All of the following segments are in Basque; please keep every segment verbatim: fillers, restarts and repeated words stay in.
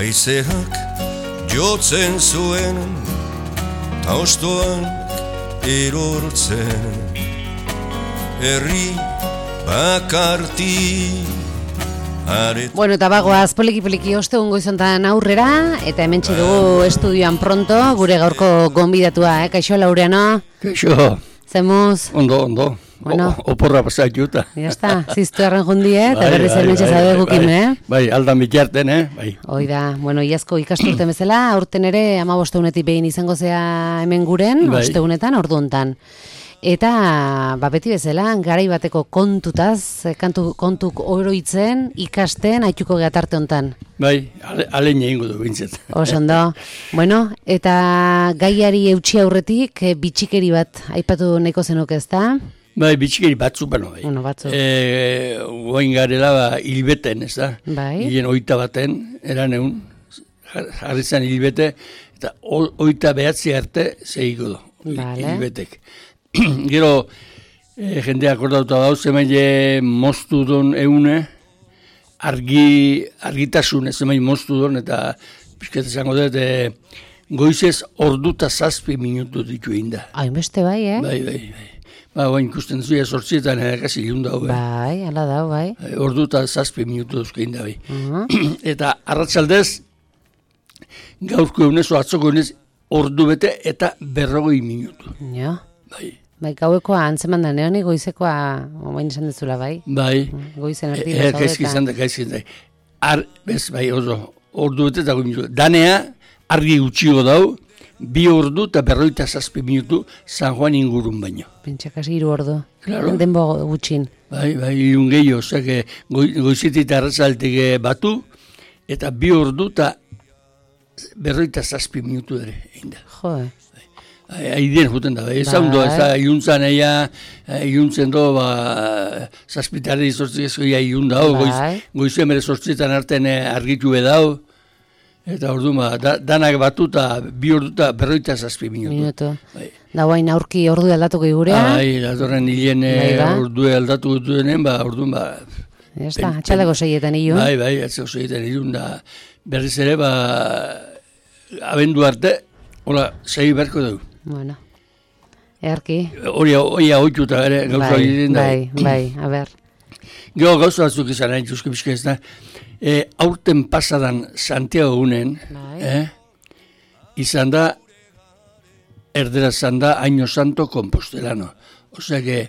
Haizeak jotzen zuen ta ostoan erortzen herri bakarti aret. Bueno, eta bagoaz poliki-poliki ostegun goizontan aurrera eta hementxe dugu estudioan pronto gure gaurko gonbidatua, eh? Kaixo Laureano? Kaixo. Zemuz? Ondo, ondo. Bueno. O, oporra pasatuta. Ya está, ziztu erren jundi, eh? Eta berriz hementxe zaude gukin, eh? Bai, aldan bitarten, eh? Bai. Hoi da, bueno, iazko ikasturte bezala, aurten ere amabostegunetik behin izango zea hemen guren, Bai. ostegunetan, ordu hontan. Eta, ba, beti bezala, garai bateko kontutaz, kantu, kontuk oroitzen, ikasten, haituko gehatarte hontan. Bai, ale, alein egingo du bintzet. Osondo. Bueno, eta gaiari eutxi aurretik, eh, bitxikeri bat aipatu nahiko zenuke, ezta? Bai, bitxikeri batzu bano, bai. Bueno, batzu. E, Oain garela, ba, hilbeten, ez da? Bai. Hilen oita baten, eran egun, jarri zen hilbete, eta o, oita behatzi arte zeiko du, Vale. hilbetek. Gero, e, jendeak akordauta dauz, zemaile moztu don eune, argi, argitasun ez zemaile moztu don, eta pixket esango dut, e, goizez orduta zazpi minutu ditu inda. Hainbeste bai, eh? Bai, bai, bai. Ba, oain ikusten zuia sortzietan erakasi ilun dago, bai. Bai, ala da, bai. Orduta zazpi minutu duzke inda, bai. Uh-huh. Eta arratsaldez, gaurko eunez, atzoko eunez, ordu bete eta berrogei minutu. Ja. Bai. Bai, gauekoa antzeman da, neoni goizekoa, oain esan dezula, bai. Bai. Goizen erdi E, gaizki izan da, gaizki izan da. Ar, bez, bai, oso, ordu bete eta goi minutu. Danea, argi gutxigo dau, bi ordu eta berroita zazpi minutu San Juan ingurun baino. Pentsakasi hiru ordu. Claro. Denbo gutxin. Bai, bai, irun gehiago, ozak, goi, goizetik eta arratzaltek batu, eta bi ordu eta berroita zazpi minutu ere, egin da. Jo, Aidien juten da, ez haundo, ez da, iluntzan eia, iluntzen do, ba, zazpitare izortzik ezko ia ilun dau, goiz, goizien bere sortzietan arten argitu edau, eta ordu ma, da, danak batu eta bi ordu eta berroita zazpi minutu. Minutu. Bai. Da guain aurki ordu aldatuko igurea. Bai, datorren hilien ordu aldatu dutenen, ba, ordu ba... Ya está, atxaldeko seietan ilun. Bai, bai, atxaldeko seietan ilun da, berriz ere, ba, abendu arte, hola, sei berko dugu. Bueno, earki. Hori hori oituta ere gauza hori bai, da. Bai, bai, a ber. Gero gauza batzuk izan hain txuske bizka ez da. E, aurten pasadan Santiago gunen, Bai. eh, izan da, erdera izan da, Año Santo Compostelano. Osea que,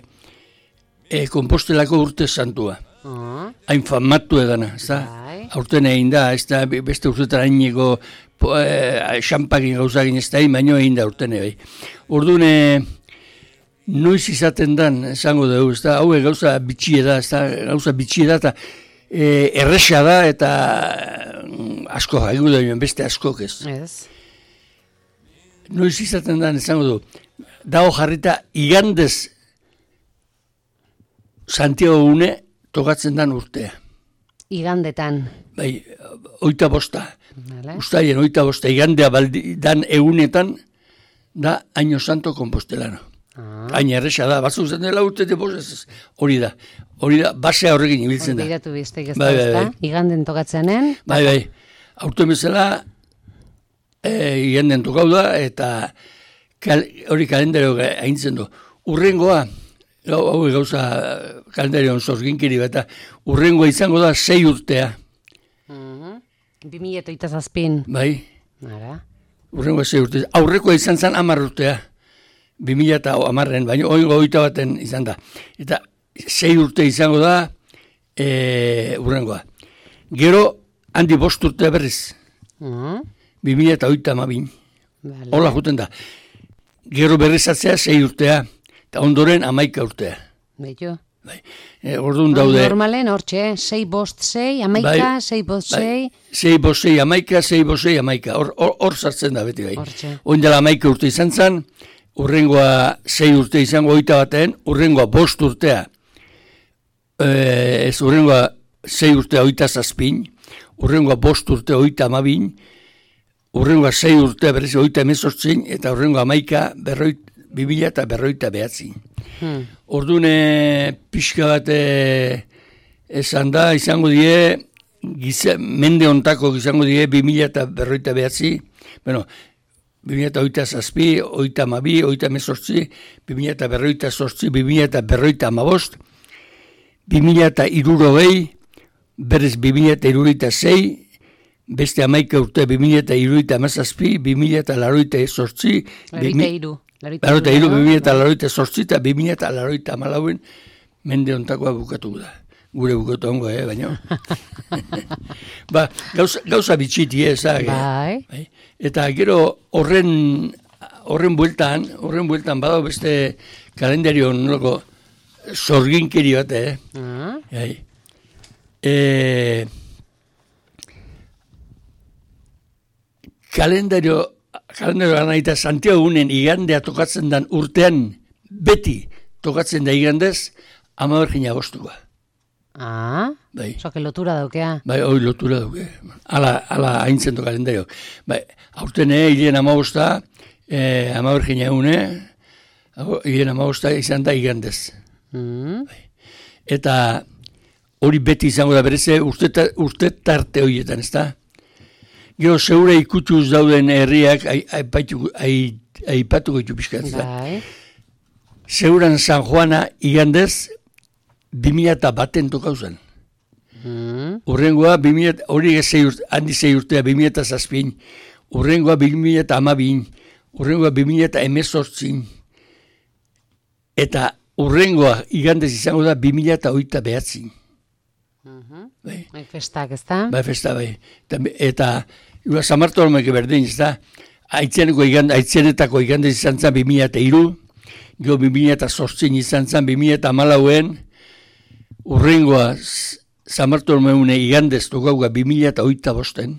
e, Compostelako urte santua. Uh-huh. Hain famatu edana, ez da? Bai. Aurten egin da, ez da, beste urtetan haineko eh, xampakin gauzagin ez da, baino egin da urten bai. Orduan, noiz izaten dan, esango dugu, ez da, hau gauza bitxie da, ez da, gauza bitxie da, eta e, erresa da, eta asko, haigu da, beste askok ez. Ez. Noiz izaten dan, esango dugu, dago jarrita, igandez Santiago une tokatzen dan urtea. Igandetan. Bai, oita bosta. Vale. Ustaien oita bosta, igandea baldi, dan egunetan, da Año Santo Compostelano. Ah. Hain erresa da, batzuk zen dela urte de bosez, hori da. Hori da, basea horrekin ibiltzen da. Begiratu biztek ez Bai, da, bai, ezta? bai. Iganden tokatzenen. Bai, bai, aurten bezala, e, iganden tokau da, eta kal, hori kalendario haintzen du. Urrengoa, hau hau gauza kalendarioan zorginkiri bat, urrengoa izango da sei urtea. Mhm. Bi mila eta oita zazpin. Bai, Ara. urrengoa sei urtea. Aurrekoa izan zen hamar urtea. Bi mila eta hamarren, baina oingo oita baten izan da. Eta sei urte izango da e, urrengoa. Gero, handi bost urtea berriz. Mhm. Bi mila eta oita amabin. Vale. Hola juten da. Gero berrizatzea sei urtea. Eta ondoren amaika urtea. Beitu. Bai. E, orduan daude. Normalen, hortxe, sei bost sei, amaika, Bai, sei bost bai. sei. Sei bost sei amaika, sei bost sei amaika. Hor, hor, hor sartzen da beti bai. Hortxe. Oin dela amaika urte izan zen, urrengoa sei urte izango oita baten, urrengoa bost urtea. E, ez urrengoa sei urtea oita zazpin, urrengoa bost urte oita amabin, urrengoa sei urtea berriz oita emezortzin, eta urrengoa amaika berroit, bibila eta berroita behatzi. Hmm. Orduan pixka bat esan da, izango die, giza, mende ontako izango die bi mila eta berroita behatzi, bueno, bi mila eta oita zazpi, oita amabi, oita mezortzi, bi mila eta berroita zortzi, bi mila eta berroita amabost, bi mila eta irurogei, berez bi mila eta iruroita zei, beste amaika urte bi mila eta iruroita amazazpi, bi mila eta laroita zortzi, Laroita iru. Laroita iru, bi mila eta laroita zortzi, eta bi mila eta laroita amalauen mende ontakoa bukatu da. Gure bukatu ongo, eh, baina. Ba, gauza, gauza bitxiti, eh, zage. Bai. Bai. Eta gero horren horren bueltan, horren bueltan badao beste kalendario nolako zorginkeri bat, eh. Ah. Bai. Eh, kalendario, kalendario gana eta Santiago Gunen igandea tokatzen dan urtean beti tokatzen da igandez, ama bergina bostukoa. Ah, Bai. soke lotura daukea. Bai, hoi lotura duke. Ala, ala haintzento kalendario. Bai, aurten eh, hilen amabosta, eh, ama bergina egune, hilen amabosta izan da igandez. Mm. Eta hori beti izango da bereze urte, urte tarte horietan, ez da? Gero zeure ikutuz dauden herriak aipatuko ai, ai, ditu pixkat, ez da? Bai. Zeuran San Juana igandez bi mila eta baten tokau zen. Mm. Urrengoa, hori urte, handi zei urtea, bi mila eta zazpin, urrengoa bi mila eta amabin, urrengoa bi mila eta emezortzin, eta urrengoa igandez izango da bi mila eta oita behatzin. Mhm. Bai. Bai, festak, ez da? Bai, festa, bai. Eta, eta Iba San Bartolomeke berdin, ez da? Aitzeneko igande, aitzenetako igandez izan zen bi mila eta iru, gero bi mila eta zortzin izan zen bi mila eta amalauen, urrengoa San Bartolomeune igandez tokauga bi mila eta oita bosten,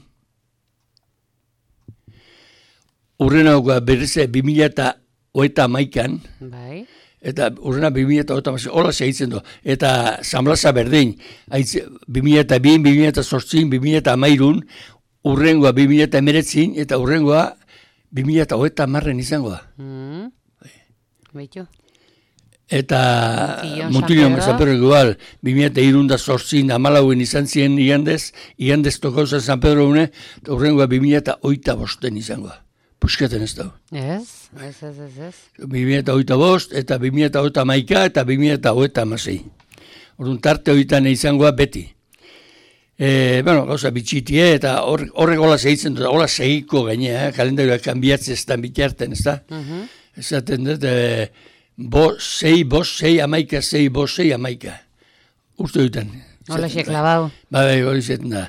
urrenauga bereze bi mila eta oita amaikan, Bai. eta urrena bi mila eta oita amaikan, hola segitzen du, eta San Blasa berdin, bi mila eta bi, bi mila eta zortzin, bi mila eta amairun, urrengoa bi mila eta emeretzin, eta urrengoa bi mila eta oita amarren izango da. Mm. Beitu. Eta Mutillo, Mutillo San Pedro. San Pedro igual, bi mila eta irunda zortzin, amalauen izan ziren igandez, igandez tokauza San Pedro une, eta urrengoa bi mila eta oita bosten izango da. Puskaten ez da. Ez, ez, ez, ez, ez. bi mila eta oita bost, eta bi mila eta oita maika, eta bi mila eta oita amasei. Orduan tarte oitan izangoa beti. E, bueno, gauza bitxitie, eta horrek hor hola segitzen dut, hola segiko gainea, eh? Kalendarioak kanbiatzen ez da bitarten, ez da? Mhm. Esaten dut, e, bo, sei, bos, sei, amaika, sei, bos, sei, amaika. Urte dutan. Hola xe klabau. Ba, bai, hori zeten da.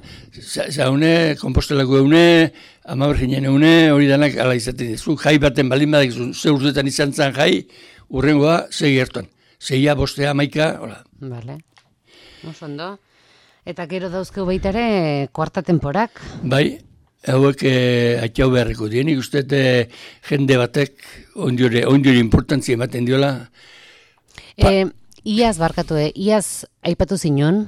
Zaune, kompostelako eune, ama berginen eune, hori danak ala izaten dizu. Jai baten balin badak, ze urtetan izan zan jai, urrengoa, sei gertuan. Seia, bostea, amaika, hola. Vale. Oso ondo. Eta gero dauzkeu baita ere kuarta temporak. Bai, hauek eh, atxau beharriko dien, ikuste eh, jende batek ondiore, ondiore importantzia ematen diola. E, iaz barkatu, e, iaz aipatu zinon,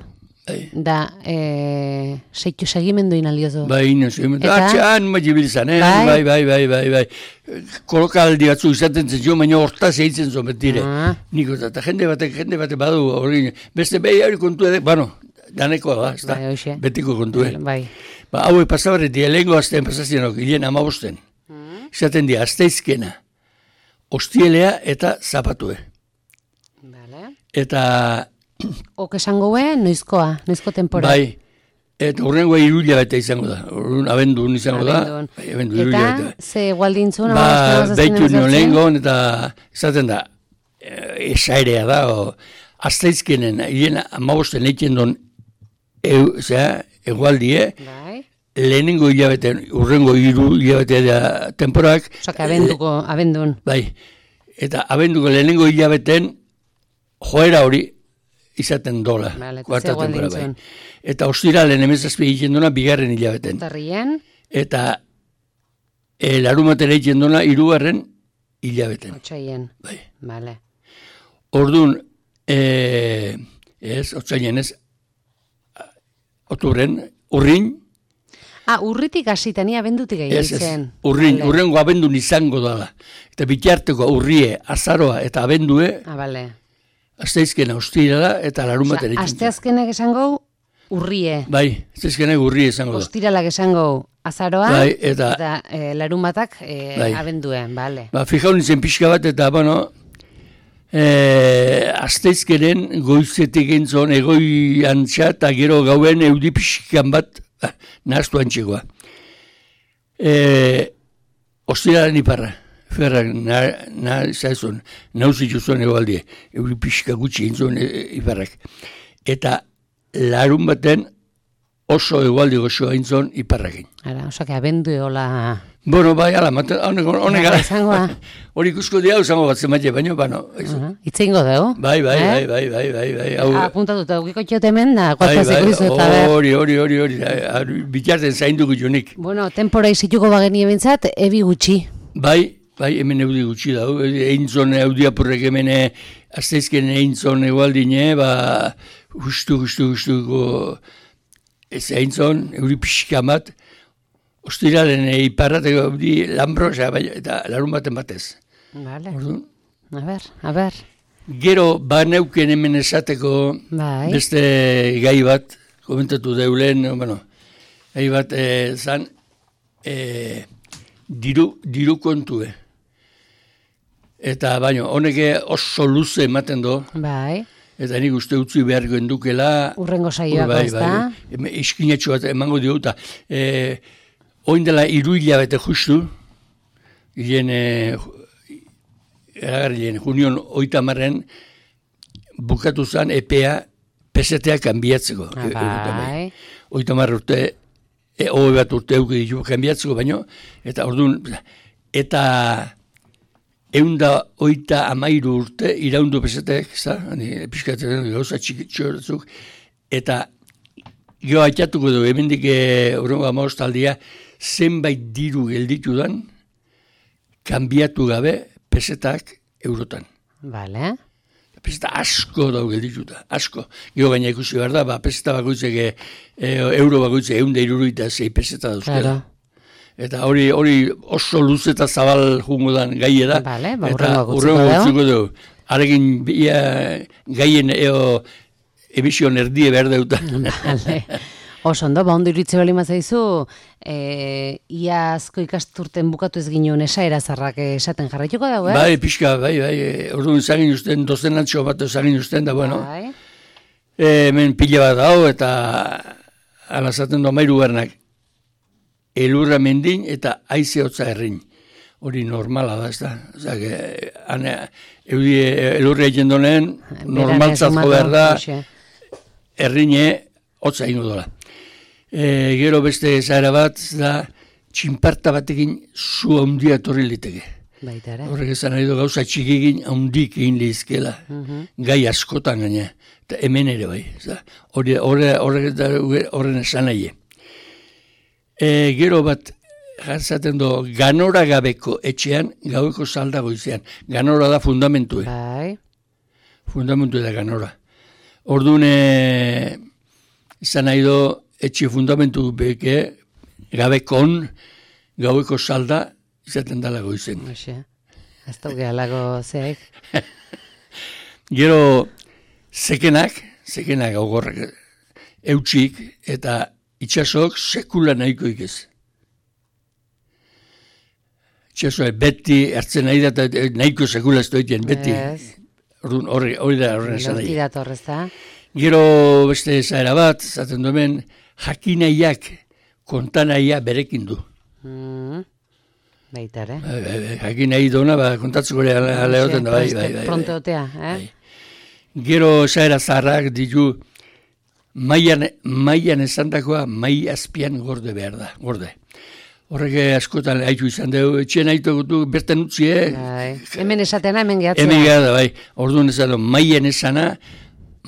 Bai, da e, seitu segimendu inaliozu. bai, no sé, Eta? atxan majibilizan, eh? Bai? bai, bai, bai, bai, bai. Kolokaldi batzu izaten zen jo, baina hortaz eitzen zo betire. Ah. Niko, eta jende batek, jende batek badu, hori, beste behi hori kontu edo, bueno, danekoa da, ez da, Bai, hoxe. betiko kontu edo. Bai. Ba, hauek pasabarretik, lehenko azten pasazien, hilen amabosten. Mm. Izaten dira, azteizkena, ostielea eta zapatue. Vale. Eta, Ok esango be, noizkoa, noizko tempora. bai, eta urrengoa iruila bete izango da, urren abendun izango Abendun. da. Bai, abendu, iruila Eta, bete. ze gualdintzun, Ba, behitu nio lehengon, eta izaten da, eh, esairea da, o, azteizkenen, hien amabosten eiken don, e, zera, egualdie, Bai. lehenengo hilabete, urrengo hiru hilabete da temporak, Osaka, abenduko, abendun. bai, eta abenduko lehenengo hilabeten joera hori izaten dola, Vale, eta kuarta ze temporada, bai. gualdintzun. Eta ostiralen emezazpi egiten duna bigarren hilabeten. Tarrien, Eta e, larumatera egiten duna hirugarren hilabeten. otxaien. Bai. Vale. Orduan, e, ez, otzainen ez, otubren, urrin, Ah, urritik hasita, ni abendutik egin ez, ez, zen. urrin, Vale. urrengo abendun izango dala. Eta bitarteko urrie, azaroa eta abendue, Ah, vale. azteizkena ostira da, eta larumatera Osea, egiten asteazkenak esango, Urrie. Bai, zezkenak urrie esango da. Ostiralak esango azaroa, bai, eta, eta e, larumatak e, bai. abenduen, bale. Ba, fijau nintzen pixka bat, eta, bueno, e, azteizkeren goizetik entzon egoi antxa, eta gero gauen eudi pixkan bat, ah, nahaztu antxegoa. E, Ostiraren iparra, ferrak, nahi na, zaizun, nauzitu zuen egoaldie, euri pixka gutxi entzon e, iparrak. Eta larun baten oso egualdi gozoa entzon iparrakin. Ara, oso que abendu eola... Bueno, bai, ala, honek gara. Hori ikusko dia, usango bat zemate, baina, bano. Itzengo dugu. Bai, bai, bai, bai, bai, bai, bai. Apuntatuta, aukiko txotemen da, kuataziko izu eta ber. Hori, hori, hori, hori, bitarten zainduko jonik. Bueno, tempora izituko bageni ebentzat, ebi gutxi. Bai, bai, hemen eudi gutxi da, eintzon eudiapurrek hemen azteizken eintzon egualdine, ba, justu, justu, justuko, ez eintzon, euri pixka bat, ostiralen iparrateko eudi lambro, eta larun baten batez. Vale. Orduan? A ber, a ber. Gero, ba neuken hemen esateko bai. Beste gai bat, komentatu deulen, bueno, gai bat e, zan, e, diru, diru kontue. Eta baino, honek oso luze ematen do. Bai. Eta nik uste utzi beharko endukela. Urrengo saioako ez da. Bai, bai. Iskinatxo bat emango diota. E, oin dela iru hilabete justu, gien, e, eragarrien, junion oita marren, bukatu zen epea pesetea kanbiatzeko. Ah, bai. Oita marra urte, e, hobe bat urte euki ditu kanbiatzeko, baino, eta orduan, eta eunda oita amairu urte iraundu pesetek, pixkatzen gauza txikitxoratzuk, eta geho haitatuko du, hemendik horrengo amorostaldia, zenbait diru gelditu dan, kanbiatu gabe pesetak eurotan. Vale. Peseta asko dau geldituta, asko. Geho gaina ikusi behar da, ba, peseta bakoitzek, e, euro bakoitzek, eunda iruruita zei peseta dauzkela. Claro. Eta hori hori oso luze eta zabal jungo dan gaie da. Vale, ba, eta urrengo gutzuko dugu. Arekin ia, gaien eo emision erdie behar deuta. Vale. Oso ondo, ba ondo iritze bali mazaizu, e, iazko ikasturten bukatu ez ginen esaera zarrak esaten jarraituko dago, eh? Bai, pixka, bai, bai, orduan zagin usten, dozenatxo bat zagin usten da, bueno. Bai. E, hemen pila bat hau eta alazaten do mairu bernak. Elurra mendin eta haize hotza errin. Hori normala da, ez da. Osa, eudi elurra egin donen, normaltzat behar da, errine hotza ingo dola. E, gero beste zahara bat, da, txinparta batekin zu handia torri liteke. Baitare. Horrek esan nahi du gauza txikigin handik egin lehizkela. Uh-huh. Gai askotan gaina. Eta hemen ere bai. Horren esan nahi. E, gero bat, jartzaten do, ganora gabeko etxean, gaueko salda goizean. Ganora da fundamentue. Bai. Fundamentue da ganora. Orduan, izan nahi do, etxe fundamentu beke, gabekon, gaueko salda, izaten dala goizen. Oxe, ez dugu alago zeek. Gero, zekenak, zekenak augorrak, eutxik, eta itxasok sekula nahiko ikez. Itxasoa beti hartzen nahi da, nahiko sekula ez doitien, beti. Hori da horren esan nahi. Gero beste zaera bat, zaten duen, jakinaiak kontanaia berekin du. Mm, baitare. Jakinai dona, ba, kontatzeko aleoten da, bai, bai, bai. Pronteotea, eh? Gero zaera zaharrak ditu, Maian, maian esandakoa mai azpian gorde behar da, gorde. Horrek askotan haitu izan dugu, etxen haitu gutu, bertan utzi, eh? Bai. Hemen esatena, hemen gehatzea. Hemen gehatzea, bai. Orduan esan dugu, maian esana,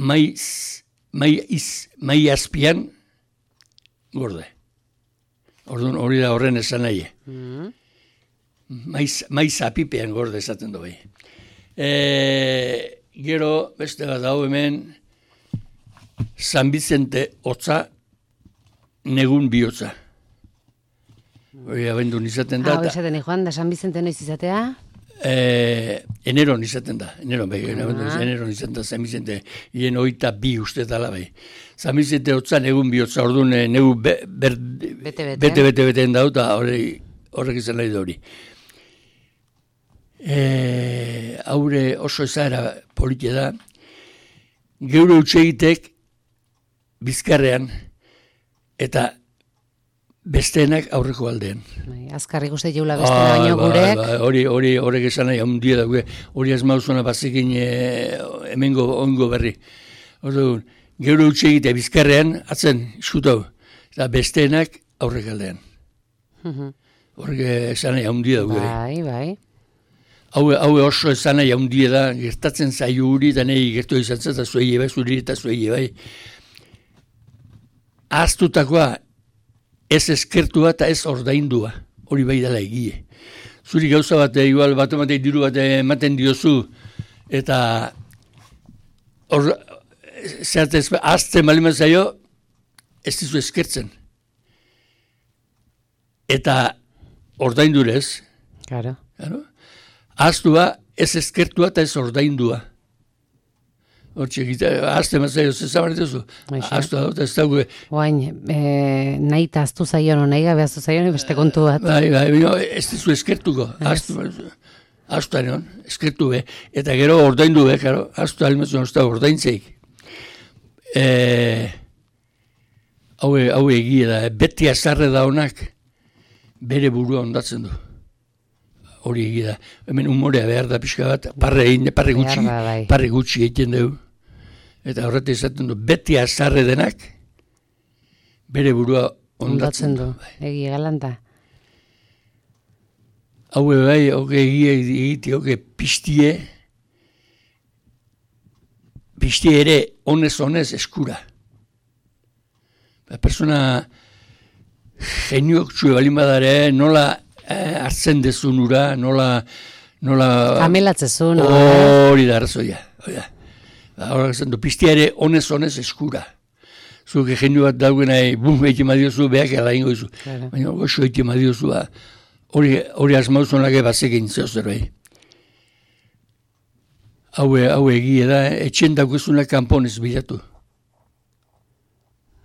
mai, mai, iz, mai azpian gorde. Orduan hori da horren esan nahi. Mm. Mai, mai zapipean gorde esaten du, bai. E, gero, beste bat hau hemen, San Vicente hotza, negun bihotza. Hori abendun izaten da. Hau izaten joan da, San Vicente noiz izatea? Eh, eneron izaten da. Eneron, bai, ah. eneron izaten da, San Vicente. Hien oita bi uste dala, bai. zamizete hotzan egun bihotza, orduan negu bete-bete-beten dau, eta horrek izan nahi da hori. E, haure oso ezara politia da, geure utxegitek bizkarrean, eta besteenak aurreko aldean. Bai, azkarrik uste jeula bestena baino gurek. Bai, hori, hori, horrek esan nahi, handia da, hori ez mauzuna bazikin e, hemengo ongo berri. Orduan, geure utxegite bizkarrean, atzen, iskutau, eta besteenak aurrek aldean. Horrek esan nahi, handia da. Bai, bai. Hau, hau oso esan nahi, handia da, gertatzen zaio huri, eta nahi gertu izan zen, eta zuei bai, zuri eta zuei bai. Ahaztutakoa, ez eskertua eta ez ordaindua, hori bai dela egie. Zuri gauza bat, igual bat ematen diru bat ematen diozu, eta hor, zertez, azten baliman zaio, ez dizu eskertzen. Eta ordaindurez, claro. Claro. Ahaztua, ez eskertua eta ez ordaindua. Hortxe, azte mazaio, zezabar dituzu. Aztua dut, ez dago. Oain, e, nahi eta aztu zaion, nahi gabe aztu zaion, beste kontu bat. Bai, bai, bai, ez dizu eskertuko. Aztua nion, eskertu be. Eta gero ordaindu be, karo, aztua alimazioan ez da ordaintzeik. E, hau, hau egie da, beti azarre da honak, bere burua ondatzen du. Hori egie da. Hemen humorea behar da pixka bat, parre egin, parre gutxi, bai. parre gutxi egiten dugu. Eta horretu izaten du, beti azarre denak, bere burua ondatzen du. Egie galanta. Hau bai, hoge egie egite, hoge piztie, piztie ere honez-honez eskura. Persona geniok txue balin badare, nola eh, hartzen dezun ura, nola... nola Kamelatzezun. Hori da, arrazoia. Hora zen du, piztia ere honez-honez eskura. Zuke genio bat dauen nahi, bum, egin madiozu, behak ala ingo izu. Claro. Baina goxo egin madiozu, hori, hori asmauzonak bazekin zehozer bai. Haue, haue egie da, etxen daukezuna kanponez bilatu.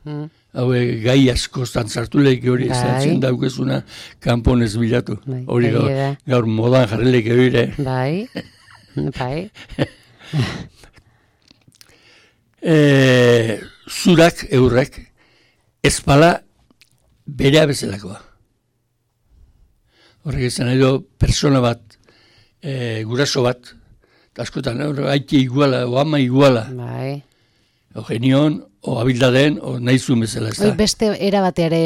Hmm. Haue gai asko zantzartu lehik hori, etxen daukezuna kanponez bilatu. Hori gaur, gaur modan jarrilek hori. Bai, bai. E, zurak, eurrek, ezpala berea bezalakoa. Horrek izan nahi do, persona bat, e, guraso bat, askotan, haiti iguala, o ama iguala. Bai. O genion, o abildaden, o nahizu bezala. Oi, beste erabateare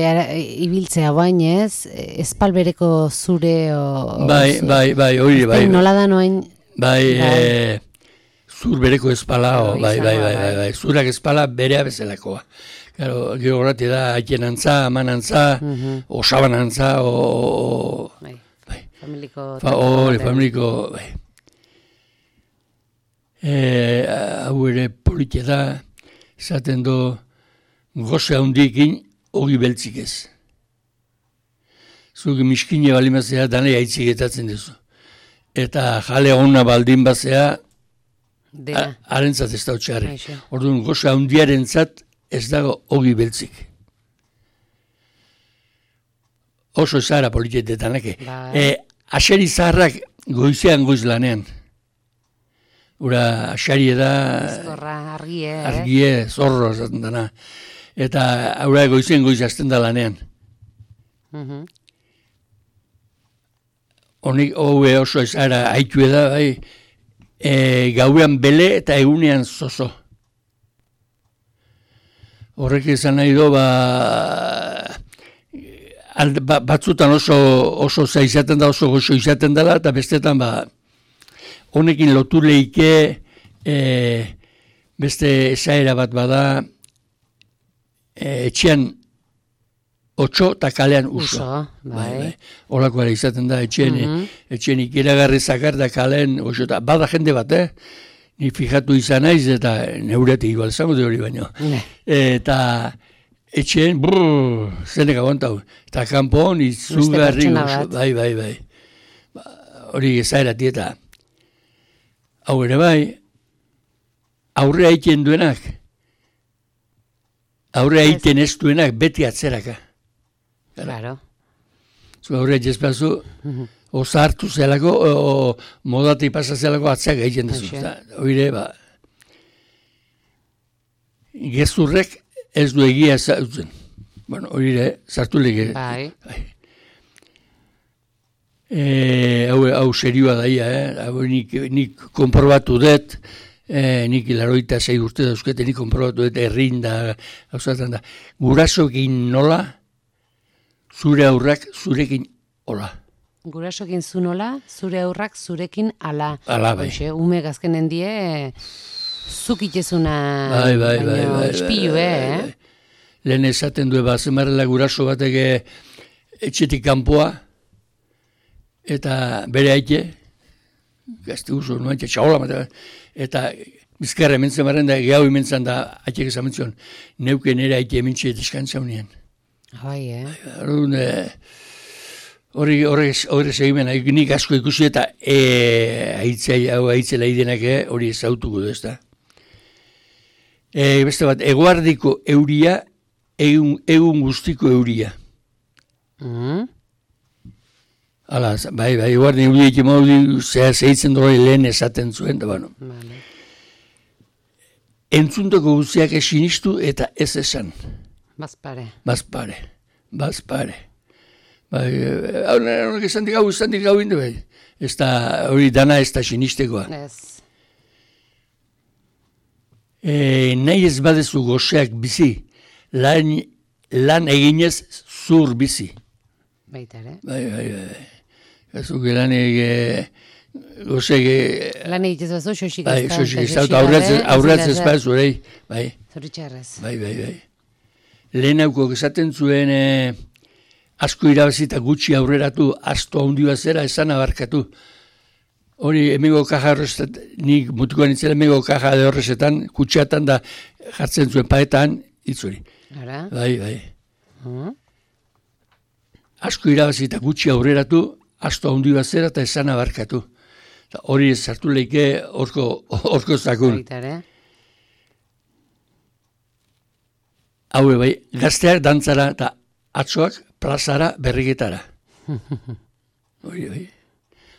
ibiltzea bainez, ezpal bereko zure, o... Bai, bai, bai, hori, bai. Nola da noain... Bai, bai. Zur bereko espala, oh, bai, bai, bai, bai, bai, zurak espala berea bezalakoa. Claro, gero horreti da, haitien antza, aman antza, uh -huh. osaban antza, o... o bai, bai. Familiko... Fa, hori, familiko, bai. E, hau ere politia da, esaten do, goze handikin, hogi beltzik ez. Zuk miskine balimazea, danei aitzigetatzen duzu. Eta jale hona baldin bazea, harentzat ez da utxarri. Orduan, goza handiaren zat ez dago hogi beltzik. Oso ezara politietetanake. E, aseri zaharrak goizean goiz lanean. Ura, asari da... Zorra, argie. Argie, zorro, zaten dana. Eta, aura, goizean goiz azten da lanean. Honik, hobe oso ezara haitu da, bai, E, gauean bele eta egunean zozo. Horrek izan nahi do, ba, alde, ba, batzutan oso, oso za izaten da, oso goxo izaten dela, eta bestetan, ba, honekin lotu leike, e, beste esaera bat bada, e, etxean otxo eta kalean uso. Uso, bai. bai. Olakoa izaten da, etxean, mm -hmm. etxean ikeragarri zakar da kalean oso, eta bada jende bat, eh? Ni fijatu izan naiz, eta neuretik igual zango de hori baino. Ne. Eta etxean, brrr, zenek aguantau. Eta kanpoan izugarri oso, bai, bai, bai. Ba, hori ezaerati eta hau ere bai, aurre haitien duenak, aurre egiten ez duenak beti atzeraka. Claro. Zu aurre jezpazu, oza hartu zelako, o modati pasa zelako atzeak egiten duzu. Oire, ba, gezurrek ez du egia zautzen. Bueno, oire, zartu lege. Bai. E, hau, hau serioa daia, eh? Hau nik, nik konprobatu dut, e, nik laroita zei urte dauzkete, nik konprobatu dut errin da, hau da, gurasoekin nola, zure aurrak zurekin hola. Gurasoekin zu nola, zure aurrak zurekin ala. Ala, bai. Hoxe, ume gazkenen die, zuk itezuna, bai, bai, bai, baino, bai, ispilu, bai, eh? bai, bai. Lehen esaten du, ba, zemarrela guraso batek etxetik kanpoa, eta bere aite, gazte guzu, no aite, txaola, eta bizkarra ementzen barren da, gehau ementzen da, aitek ezamentzen, neuke nire aite emintxe eskantza unien. Bai, eh? Horren, horri horre segimen, nik asko ikusi eta e, aitzei, hau aitzela idenak hori ezautuko du, ez da. E, beste bat, eguardiko euria, egun, egun guztiko euria. Mm. Hala, bai, bai, eguardi euria eki maudi, zehar zehitzen dori lehen esaten zuen, da bano. Vale. Entzuntoko guztiak esinistu eta ez esan. Bazpare. Bazpare, bazpare. Bai, honek esan dik hau, esan dik hau indu, bai. Ez da, hori dana ez da sinistekoa. Ez. E, nahi ez badezu goseak bizi, lan, lan eginez zur bizi. Baita ere. Bai, bai, bai. Gazuk lan ege, goseak... Lan egitez bazo, xoxik bai, ez da. xoxik ez da, aurratz ez baz, urei. Bai, Zoritxarrez. bai, bai, bai. Lehen hauko esaten zuen eh, asko irabazita gutxi aurreratu, asto handi bazera esan abarkatu. Hori, emego kaja horrezetan, nik mutikoan itzela emego kaja de horrezetan, kutxeatan da jartzen zuen paetan, itzuri. Ara? Bai, bai. Uh-huh. Asko irabazita gutxi aurreratu, asto handi bazera eta esan abarkatu. Ta hori ez sartu leike orko, orko zakun. Baita ere. Haue bai, gazteak dantzara eta atzoak plazara berriketara. Hori bai.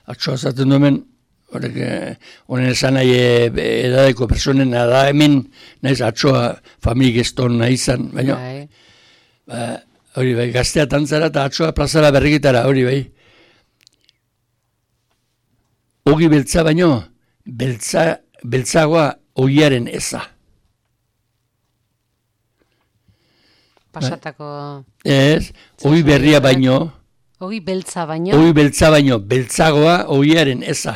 Atzoa zaten duemen, horrek, honen esan nahi edadeko personen da hemen, nahiz atzoa familik eston nahi izan, baina, ba, hori bai, gaztea dantzara eta atzoa plazara berriketara, hori bai. Ogi beltza baino, beltza, beltzagoa ogiaren eza. Pasatako... Ez, ogi berria baino, Ogi beltza baino. ogi beltza baino, beltzagoa ogiaren eza.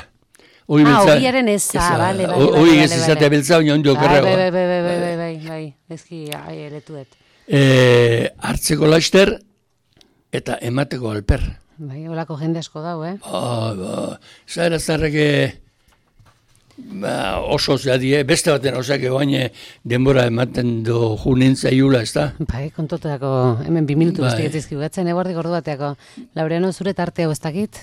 Ogi Ah, beltza, ogiaren eza, bale, bale, o- Ogi ez izatea beltza baino ondo Bai, okerragoa. bai, bai, bai, bai, bai, bai, bai, ezki, ai, eretuet. Eh, hartzeko laster eta emateko alper. Bai, holako jende asko dau, eh? Ba, ba, zara zarreke ba, oso zeadie, beste baten osak egoain denbora ematen do junin zaiula, ez da? Bai, kontotako, hemen bi minutu Bai. guztiak ezki gatzen, eguardik ordu bateako. Laureano, zure tartea ez dakit?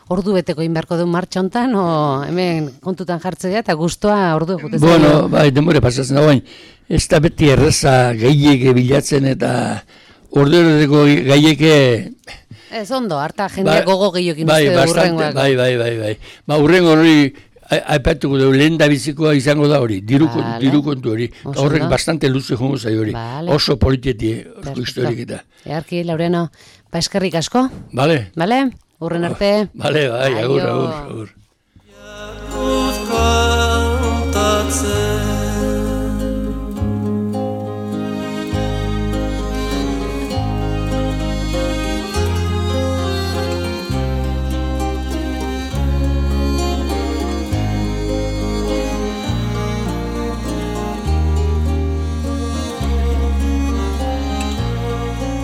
Ordu beteko inbarko du martxa hontan, o hemen kontutan jartzea eta gustoa ordu jute zaio. Bueno, bai, denbora pasatzen da, bain, ez da beti erreza gaieke bilatzen eta orduereteko gaieke... Ez ondo, harta jendeak gogo gehiokin bai, uste bastante, urrengoak. bai, bai, bai, bai. Ba, urrengo hori aipatuko dugu, lehen da bizikoa izango da hori, diru, Vale. diru kontu hori. Oso Horrek ondo. bastante luze jongo zai hori. Vale. Oso politetie, Perfecto. historik eta. Earki, Laureano, ba eskerrik asko, Bale? bale? Urren arte. Bale, bai, agur, Aio. agur, agur. Kantatzen